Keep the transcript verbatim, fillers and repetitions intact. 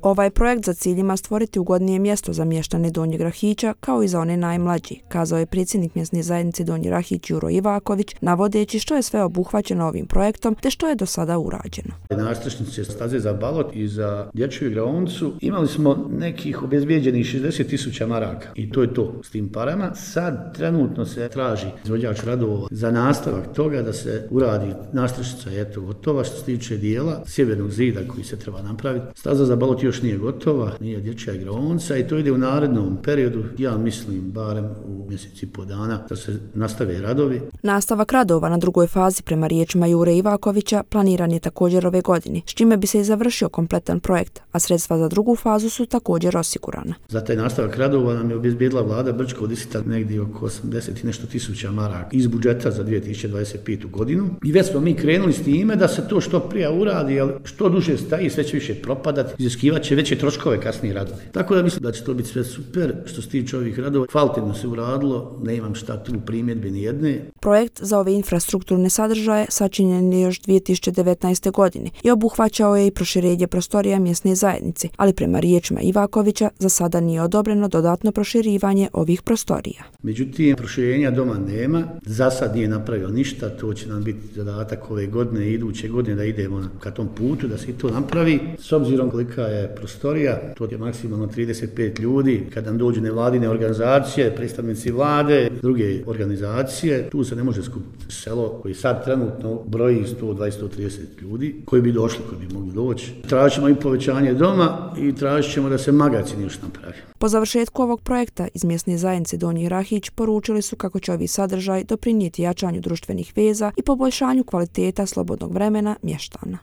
Ovaj projekt za cilj ima stvoriti ugodnije mjesto za mještane Donjeg Rahića kao i za one najmlađi, kazao je predsjednik mjesne zajednice Donji Rahić Juro Ivaković, navodeći što je sve obuhvaćeno ovim projektom te što je do sada urađeno. Nastrešnice staze za balot i za dječju igraonicu imali smo nekih obezbijeđenih šezdeset tisuća maraka i to je to s tim parama. Sad trenutno se traži izvođač radova za nastavak toga da se uradi nastrešnica, eto gotova što se tiče dijela sjevernog zida koji se treba napraviti. Staza za balot još nije gotova, nije dječja igraonica i to ide u narednom periodu, ja mislim barem u mjesec i po dana da se nastave radovi. Nastavak radova na drugoj fazi prema riječima Jure Ivakovića planiran je također ove godine, s čime bi se i završio kompletan projekt, a sredstva za drugu fazu su također osigurana. Za taj nastavak radova nam je obezbijedila vlada Brčko-Disita negdje oko osamdeset i nešto tisuća maraka iz budžeta za dvije tisuće dvadeset petu godinu. I već smo mi krenuli s time da se to što prije uradi, ali što duže staji sve će više propadati, iziskivat će veće troškove kasnije radovi. Tako da mislim da će to biti sve super što se tiče ovih radova. Kvalitetno se uradilo, ne imam šta tu primjedbe ni jedne. Projekt za ove infrastrukturne sadržaje sačinjen je još dvije tisuće devetnaeste. godine i obuhvaćao je i proširenje prostorija mjesne zajednice, ali prema riječima Ivakovića za sada nije odobreno dodatno proširivanje ovih prostorija. Međutim, proširenja doma nema, za sad nije napravio ništa, to će nam biti zadatak ove godine i iduće godine da idemo ka tom putu, da se to napravi. S obzirom kolika je prostorija, to je maksimalno trideset pet ljudi, kad nam dođu nevladine organizacije, predstavnici vlade, druge organizacije, tu se ne može skupiti selo koji sad trenutno broji sto dvadeset do trideset ljudi koji bi došli, koji bi mogli doći. Tražit ćemo i povećanje doma i tražit ćemo da se magacin još napravi. Po završetku ovog projekta iz mjesne zajednice Donji Rahić poručili su kako će ovi sadržaj doprinijeti jačanju društvenih veza i poboljšanju kvaliteta slobodnog vremena mještana.